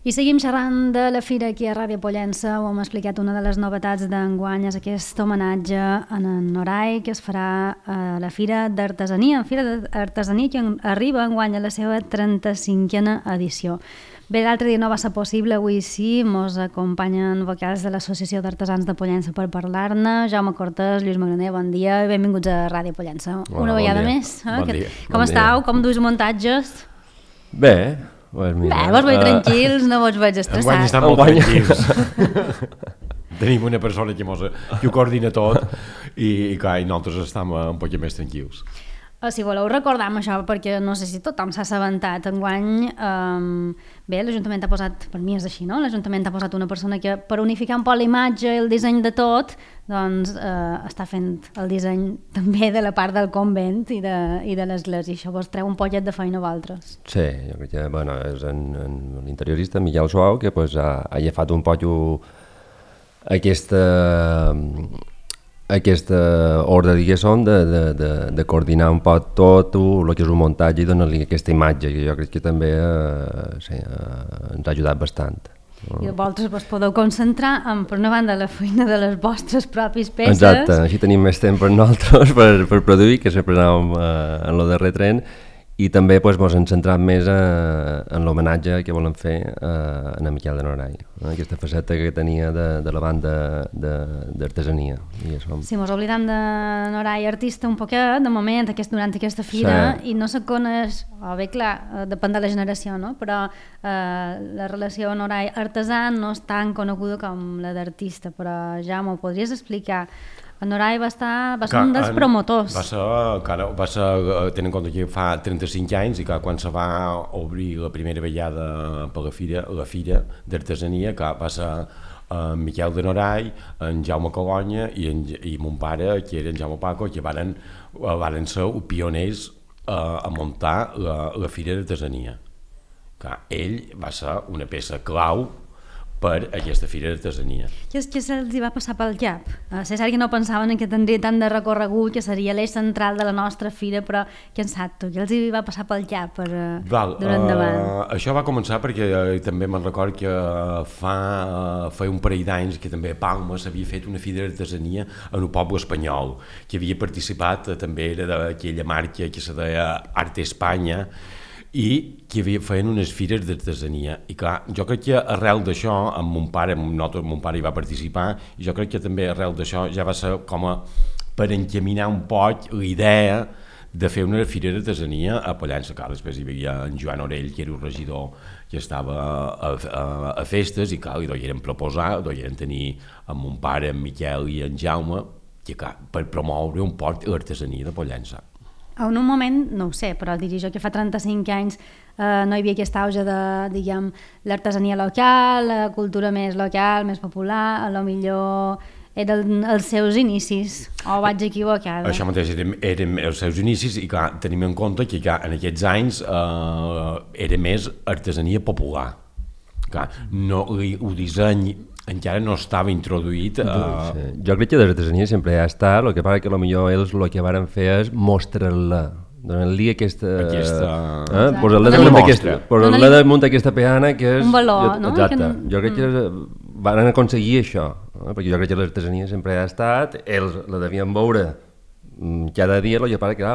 I seguim xerrant de la fira aquí a Ràdio Pollença. Ho hem explicat, una de les novetats d'enguany és aquest homenatge en Noray que es farà a la Fira d'Artesania. Fira d'Artesania que arriba enguany a la seva 35a edició. Bé, l'altre dia no va ser possible, avui sí, mos acompanyen vocals de l'Associació d'Artesans de Pollença per parlar-ne. Jaume Cortés, Lluís Magraner, bon dia i benvinguts a Ràdio Pollença. Una vegada més. Bon dia. Com estàu? Com duis muntatges? Bé. Pues mira, vos veig tranquils, no vos veig estressats. Enguany estan molt tranquils. Tenim una persona que ho coordina tot i nosaltres estem un poc més tranquils. Si voleu recordar amb això, perquè no sé si tothom s'ha assabentat, enguany, bé, l'Ajuntament ha posat, per mi és així, no? L'Ajuntament ha posat una persona que per unificar un poc la imatge i el disseny de tot, doncs està fent el disseny també de la part del convent i de l'església. Això vos treu un pollet de feina a vosaltres. Sí, jo crec que bueno, és en l'interiorista Miquel Suau que pues, ha agafat un poc aquesta ordre, diguéssim, de coordinar un poc tot el que és un muntatge i donar-li aquesta imatge, que jo crec que també sí, ens ha ajudat bastant. I vosaltres vos podeu concentrar en, per una banda, la feina de les vostres pròpies peces. Exacte, així tenim més temps per nosaltres per produir, que sempre anàvem en el darrer tren, i també ens hem centrat més en l'homenatge que volem fer a en Miquel de Noray, aquesta faceta que tenia de la banda d'artesania. Sí, mos oblidam de Noray artista un poquet, de moment, durant aquesta fira, sí. I no se coneix, bé, clar, depèn de la generació, no? Però la relació Noray artesà no és tan coneguda com la d'artista, però ja m'ho podries explicar. En Noray va ser un dels promotors. Va ser, tenint en compte que fa 35 anys i que quan se va obrir la primera vegada per la fira d'artesania, que va ser en Miquel de Noray, en Jaume Colonya i mon pare, que era en Jaume Paco, que varen ser pioners a muntar la fira d'artesania. Ell va ser una peça clau per aquesta fira d'artesania. Què se'ls va passar pel cap? És cert que no pensaven que tindria tant de recorregut, que seria l'eix central de la nostra fira, però què en sap tu? Què els va passar pel cap durant endavant? Això va començar perquè també me'n record que feia un parell d'anys que també a Palma s'havia fet una fira d'artesania en el poble espanyol, que havia participat, també era d'aquella marca que se deia Arte Espanya, i que feien unes fires d'artesania. I clar, jo crec que arrel d'això, amb mon pare hi va participar, i jo crec que també arrel d'això ja va ser com per encaminar un poc la idea de fer una fira d'artesania a Pollença. Després hi havia en Joan Orell, que era un regidor que estava a festes, i clar, li deien proposar, deien tenir amb mon pare, en Miquel i en Jaume, que clar, per promoure un poc l'artesania de Pollença. En un moment, no ho sé, però diria jo que fa 35 anys no hi havia aquest auge de, diguem, l'artesania local, la cultura més local, més popular, a lo millor eren els seus inicis, o vaig equivocada? Això mateix, eren els seus inicis i clar, tenim en compte que en aquests anys era més artesania popular. Clar, el disseny encara no estava introduït. Sí. Jo crec que l'artesania sempre ha estat, el que passa que potser ells el que varen fer és mostrar-la, donar-li aquesta posar-la damunt d'aquesta peana que és... Un valor, no? Exacte, jo crec que van aconseguir això, perquè jo crec que l'artesania sempre ha estat, ells la devien veure cada dia, el que passa que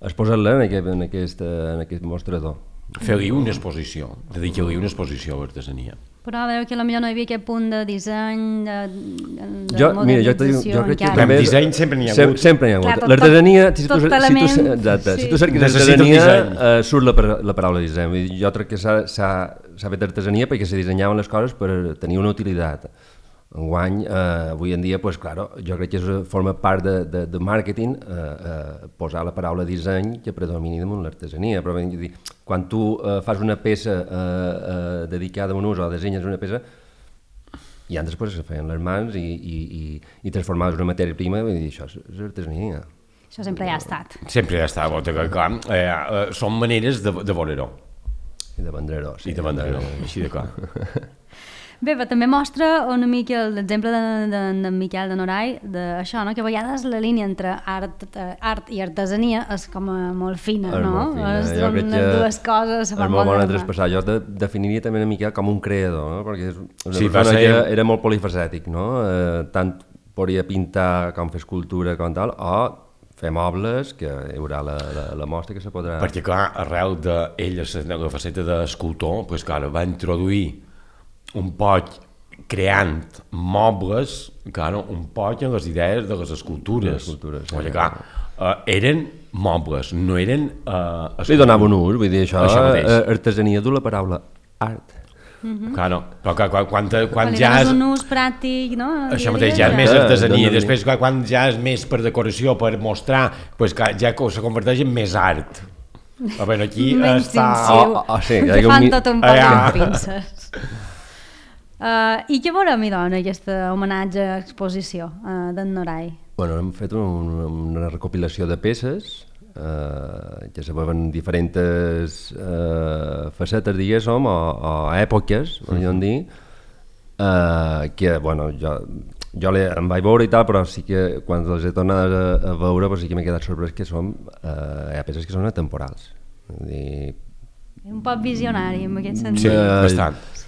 es posa-la en aquest mostrador. Fer-li una exposició, dedicar-li una exposició a l'artesania. Però a veure que potser no hi havia aquest punt de disseny, de modernització. En disseny sempre n'hi ha hagut. Sempre n'hi ha hagut. L'artesania, si tu cerques artesania, surt la paraula disseny. Jo crec que s'ha fet artesania perquè se dissenyaven les coses per tenir una utilitat. Enguany, avui en dia, jo crec que forma part de màrqueting posar la paraula disseny que predomini damunt l'artesania. Però quan tu fas una peça dedicada a un ús o dissenyes una peça, i antes se feien les mans i transformaves una matèria prima, i això és artesania. Això sempre hi ha estat. Sempre hi ha estat, clar. Són maneres de veure-ho. I de vendre-ho. I de vendre-ho, així de clar. Bé, però també mostra una mica l'exemple de Miquel de Noray, d'això, no? Que a vegades la línia entre art i artesania és com molt fina, no? Són les dues coses. És molt bona traspassar. Jo definiria també una mica com un creador, no? Perquè és una persona que era molt polifacètic, no? Tant podria pintar com fer escultura com tal, o fer mobles, que hi haurà la mostra que se podrà... Perquè, clar, arrel d'ell, la faceta d'escultor, doncs, clar, va introduir un poc creant mobles, clar, un poc en les idees de les escultures. Perquè, clar, eren mobles, no eren... Li donava un ús, vull dir, això artesania du la paraula art. Claro, però quan ja és... un ús pràctic, no? Això mateix, ja és més artesania, després quan ja és més per decoració, per mostrar, doncs ja se converteix en més art. A veure, aquí està... Que fan tot un poc amb pinces. I què veurem, doncs, aquesta homenatge a exposició d'en Noray? Bueno, hem fet una recopilació de peces que se veuen diferents facetes, diguéssim, o èpoques, podríem dir, que, bueno, jo em vaig veure i tal, però sí que quan les he tornat a veure sí que m'he quedat sorprès que hi ha peces que són atemporals. Un poc visionari, en aquest sentit. Sí,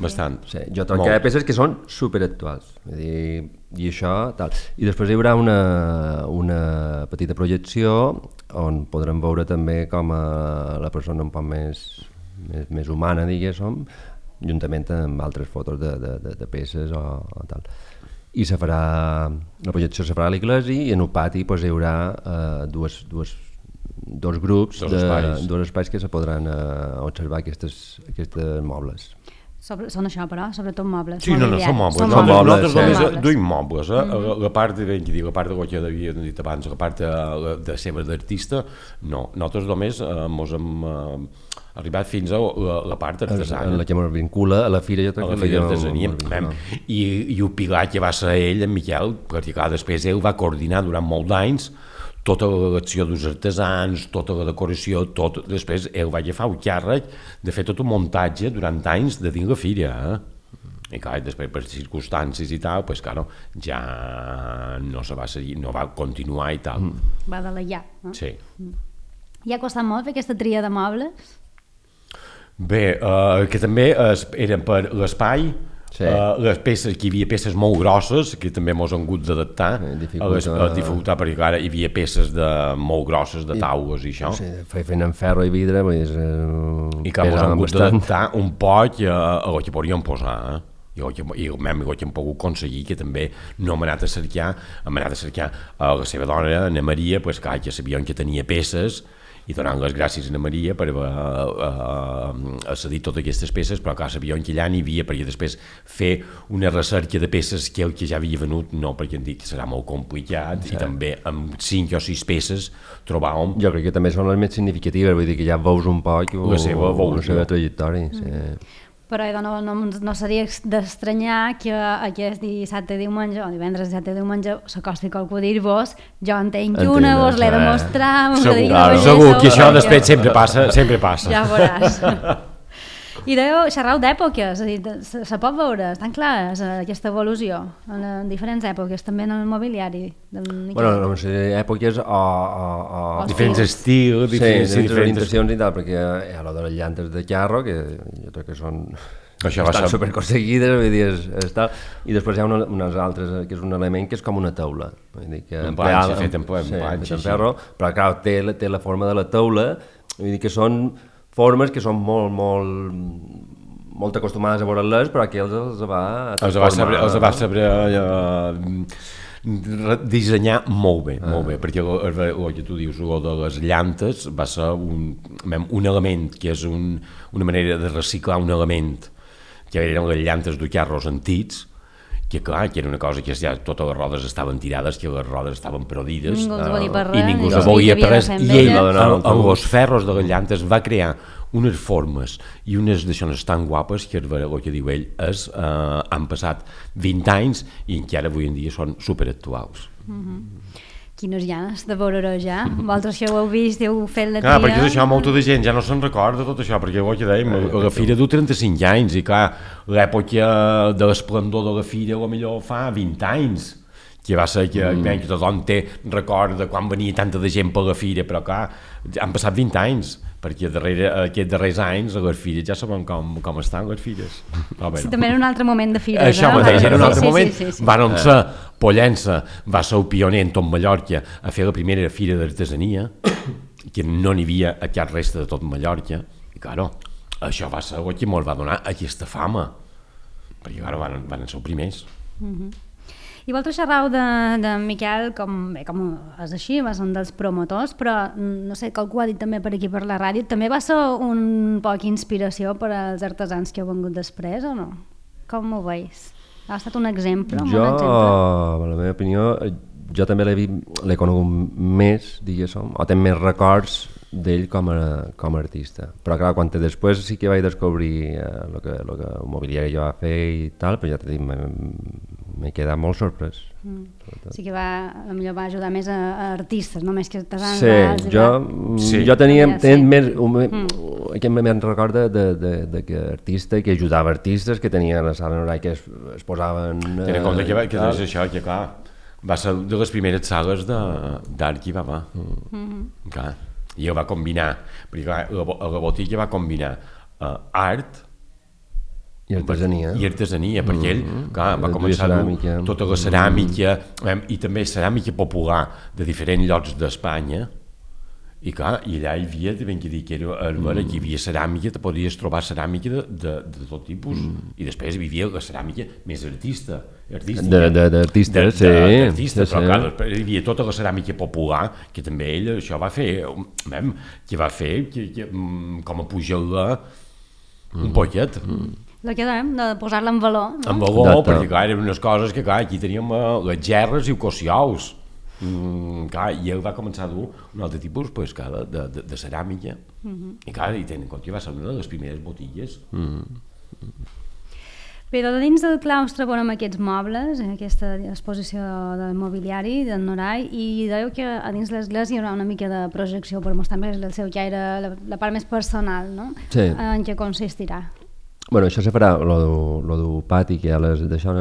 bastant. Sí, jo trobo que hi ha peces que són superactuals, i això, tal. I després hi haurà una petita projecció on podrem veure també com la persona un poc més humana, diguéssim, juntament amb altres fotos de peces o tal. I la projecció se farà a l'església i en el pati hi haurà dos grups, dos espais que se podran observar aquests mobles. Són això, però, sobretot mobles. Sí, no, són mobles. Nosaltres només duim mobles. La part de lo que havia dit abans, la part de seva d'artista, no. Nosaltres només ens hem arribat fins a la part artesana. En la que ens vincula a la fira. A la fira d'artesania. I el pilar que va ser ell, en Miquel, perquè clar, després ell va coordinar durant molt d'anys tota l'acció dels artesans, tota la decoració, tot. Després ell va agafar el càrrec de fer tot un muntatge durant anys de dins la fira. I clar, després per circumstàncies i tal, doncs clar, ja no se va seguir, no va continuar i tal. Va deleiar, no? Sí. I ha costat molt fer aquesta tria de mobles? Bé, que també eren per l'espai. Les peces, que hi havia peces molt grosses que també ens han hagut d'adaptar a dificultar, perquè clar, hi havia peces molt grosses de taules i això fent en ferro i vidre i que ens han hagut d'adaptar un poc a el que podríem posar i el que hem pogut aconseguir, que també no hem anat a cercar a la seva dona, Ana Maria, que sabien que tenia peces i donant les gràcies a Ana Maria per haver cedit totes aquestes peces, però clar, sabíem que allà n'hi havia, perquè després fer una recerca de peces que el que ja havia venut, no, perquè em dic que serà molt complicat, i també amb 5 o 6 peces trobàvem... Jo crec que també són les més significatives, vull dir que ja veus un poc la seva trajectòria. Però no seria d'estranyar que aquest dissabte diumenge, o divendres dissabte diumenge, s'acosti qualcú a dir-vos jo en tenc una, vos l'he de mostrar... Segur que això després sempre passa. Ja veuràs. I xerrau d'èpoques, se pot veure, estan clares aquesta evolució en diferents èpoques, també en el mobiliari. Bueno, no sé, èpoques o diferents estils, diferents orientacions i tal, perquè hi ha de les llantes de carro, que jo crec que estan superconseguides, vull dir, i després hi ha unes altres, que és un element que és com una taula. Un planxa fet en ferro, però clar, té la forma de la taula, vull dir que són formes que són molt acostumades a veure-les, però aquí els va saber dissenyar molt bé, perquè el que tu dius, el de les llantes va ser un element, que és una manera de reciclar un element, que eren les llantes de carros antics, que clar, que era una cosa que ja totes les rodes estaven tirades, que les rodes estaven perdides i ningú els volia per res, i ell amb els ferros de les llantes va crear unes formes i unes d'aixònes tan guapes que el que diu ell han passat 20 anys i encara avui en dia són superactuals. Quines ganes de veure-ho ja. Vosaltres que ho heu vist, heu fet la tria... Clar, perquè això molta de gent ja no se'n recorda tot això, perquè ho que dèiem, la fira du 35 anys i clar, l'època de l'esplendor de la fira millor fa 20 anys, que va ser que tothom té record de quan venia tanta de gent per la fira, però clar, han passat 20 anys, perquè aquests darrers anys a les fires ja sabem com estan les fires. Sí, també era un altre moment de fires. Això mateix, era un altre moment. Van ser Pollença, va ser el pioner en tot Mallorca a fer la primera fira d'artesania, que no n'hi havia a cap resta de tot Mallorca, i claro, això va ser el que ens va donar aquesta fama, perquè claro, van ser els primers. I vosaltres xerrau de Miquel, com és així, va ser un dels promotors, però no sé, qualcú ha dit també per aquí per la ràdio, també va ser un poc inspiració per als artesans que heu vengut després, o no? Com ho veus? Ha estat un exemple? La meva opinió, jo també l'he conegut més, diguéssim, o tenc més records d'ell com a artista. Però clar, quan després sí que vaig descobrir el que mobiliari jo va fer i tal, però ja t'he dit, m'he quedat molt sorprès. Sí que potser va ajudar més a artistes, no més que artesans. Jo tenia més aquest més record de que artista que ajudava artistes, que tenia la sala Norai que es posaven... Tenen en compte que és això, que clar, va ser de les primeres sales d'art que hi va. Clar, i ell va combinar, perquè clar, la botiga va combinar art i artesania, perquè ell va començar tota la ceràmica i també ceràmica popular de diferents llocs d'Espanya, i clar, i allà hi havia, ben que dir que hi havia ceràmica, te podies trobar ceràmica de tot tipus, i després hi havia la ceràmica més artística, però clar, hi havia tota la ceràmica popular, que també ell això va fer, com a pujar-la un poquet. La que dèiem, de posar-la en valor. En valor, perquè clar, eren unes coses que clar, aquí teníem les gerres i els cocials. Clar, i ell va començar a dur un altre tipus de ceràmica, i clar, i tenen en compte que va ser una de les primeres botigues. Bé, dins del claustre veurem aquests mobles, aquesta exposició del mobiliari del Norai, i dèieu que a dins l'església hi haurà una mica de projecció per mostrar més el seu caire, la part més personal, no? Sí. En què consistirà? Bueno, això se farà, lo del pati, que a les d'això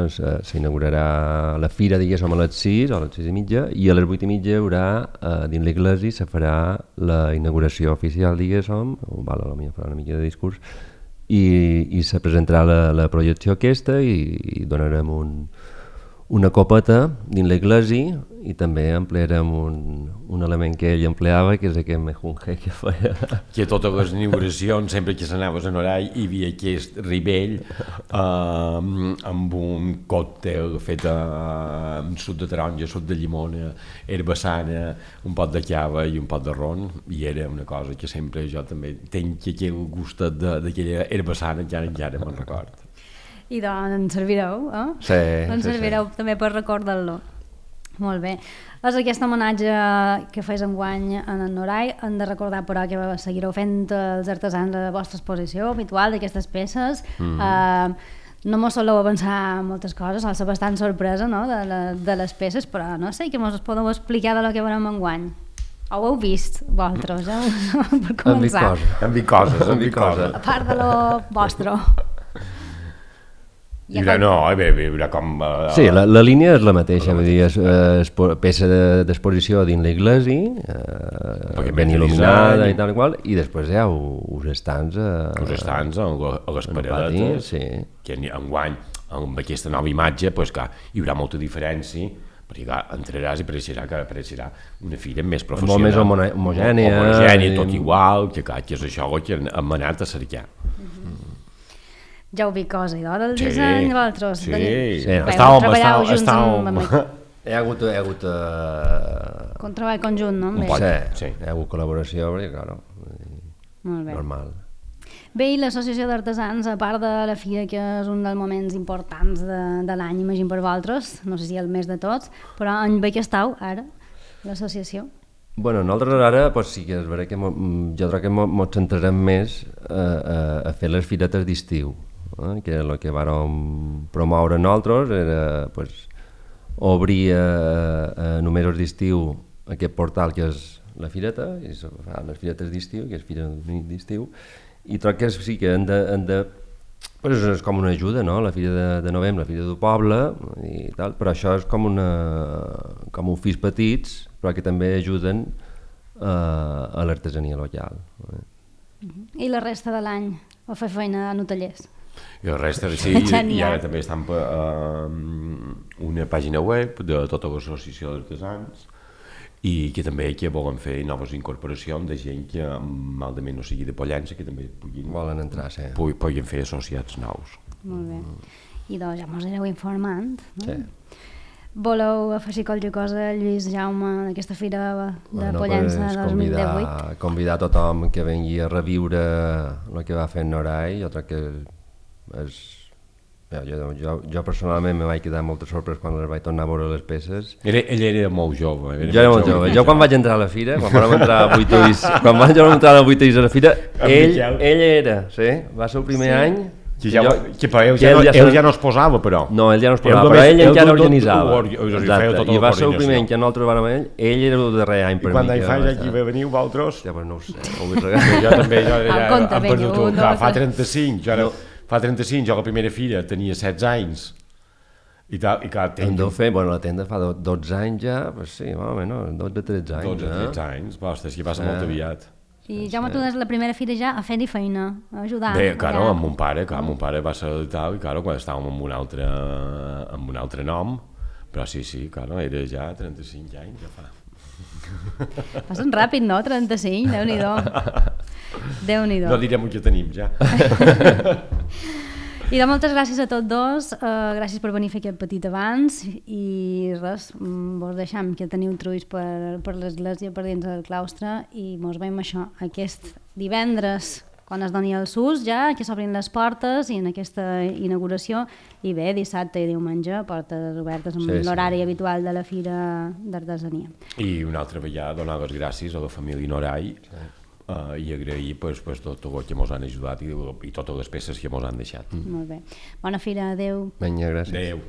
s'inaugurarà la fira, diguéssim, a les 6 o a les 6:30, i a les 8:30 hi haurà, dins l'església, se farà la inauguració oficial, diguéssim, potser farà una mica de discurs, i se presentarà la projecció aquesta i donarem una copeta dins l'església, i també emplearem un element que ell empleava, que és aquest mejunje que feia. Que a totes les inauguracions, sempre que s'anaves a Norai, hi havia aquest ribell amb un còctel fet amb suc de taronja, suc de llimona, herbassana, un pot de cava i un pot de ron, i era una cosa que sempre jo també tenc aquell gustet d'aquella herbassana, encara me'n record. I doncs en servireu, eh? Sí. En servireu també per recordar-lo. Molt bé. És aquest homenatge que fes enguany en el Norai. Hem de recordar, però, que seguireu fent els artesans la vostra exposició habitual d'aquestes peces. No mos soleu avançar moltes coses, sol ser bastant sorpresa, no?, de les peces, però no sé, què mos podeu explicar de lo que veurem enguany? Ho heu vist, vosaltres, per començar? Hem vist coses. A part de lo vostre. Hi haurà com... Sí, la línia és la mateixa, vull dir, és peça d'exposició dins l'església, ben il·luminada i tal qual, i després hi ha uns estants a les paradetes, que enguany, amb aquesta nova imatge, hi haurà molta diferència, perquè entraràs i apareixerà una fira més professional. Molt més homogènia. Tot igual, que és això que hem anat a cercar. Ja heu vist cosa, del disseny, vosaltres? Sí, estàvem... Hi ha hagut... Un treball conjunt, no? Sí, hi ha hagut col·laboració, perquè, clar, normal. Bé, i l'Associació d'Artesans, a part de la fira, que és un dels moments importants de l'any, imagino per vosaltres, no sé si el més de tots, però en bé que esteu ara, l'associació? Bueno, nosaltres ara sí que és veritat que jo crec que ens centrarem més a fer les firetes d'estiu, que el que vam promoure nosaltres era obrir a números d'estiu aquest portal que és la fireta, i se fa les firetes d'estiu, que és fira d'estiu, i troc que sí que han de pues és com una ajuda, no? La fira de novembre, la fira del poble i tal, però això és com ofis petits, però que també ajuden a l'artesania local. I la resta de l'any a fer feina en hotellers? I la resta, sí, i ara també estan per una pàgina web de tota l'associació d'artesans i que també que volen fer noves incorporacions de gent que malament no sigui de Pollença, que també volen entrar, sí. Puguin fer associats nous. Molt bé. I doncs ja mos aneu informant, no? Sí. Voleu afegir qualque cosa, Lluís, Jaume, d'aquesta fira de Pollença 2018? Convidar tothom que vengui a reviure el que va fer en Noray. Jo crec que és... Jo personalment me vaig quedar molt sorprès quan les vaig tornar a veure les peces. Ell era molt jove. Jo era molt jove. Jo quan vaig entrar a la fira, quan vam entrar a 8 ulls a la fira, ell era, sí, va ser el primer any. Ell ja no es posava, però. No, ell ja no es posava, però ell encara organitzava. I va ser el primer any que nosaltres vam amb ell era el darrer any per mi. I quan d'any fa ja aquí veniu vosaltres? Ja, no ho sé, ho vull regar. Jo també, hem perdut, fa 35, fa 35, jo la primera fira tenia 16 anys i tal, i clar... Hem de fer, bueno, la tenda fa 12 anys ja, pues sí, home, no, 12-13 anys. 12-13 anys, ostres, que passa molt aviat. I Jaume, tu des la primera fira ja a fer-hi feina, a ajudar. Bé, claro, amb mon pare, va ser tal, i claro, quan estàvem amb un altre nom, però sí, claro, era ja 35 anys, ja fa. Passen ràpid, no? 35, Déu-n'hi-do. Déu-n'hi-do. No direm el que tenim, ja. I de moltes gràcies a tots dos, gràcies per venir a fer aquest petit avanç i res, vos deixam que teniu truis per l'església, per dins del claustre i mos veiem això aquest divendres quan es doni el SUS ja, que s'obrin les portes i en aquesta inauguració i bé, dissabte i diumenge portes obertes amb l'horari habitual de la Fira d'Artesania. I una altra vegada donar les gràcies a la família Noray i agrair tot el que ens han ajudat i totes les peces que ens han deixat. Molt bé. Bona fira, adeu. Vinga, gràcies. Adeu.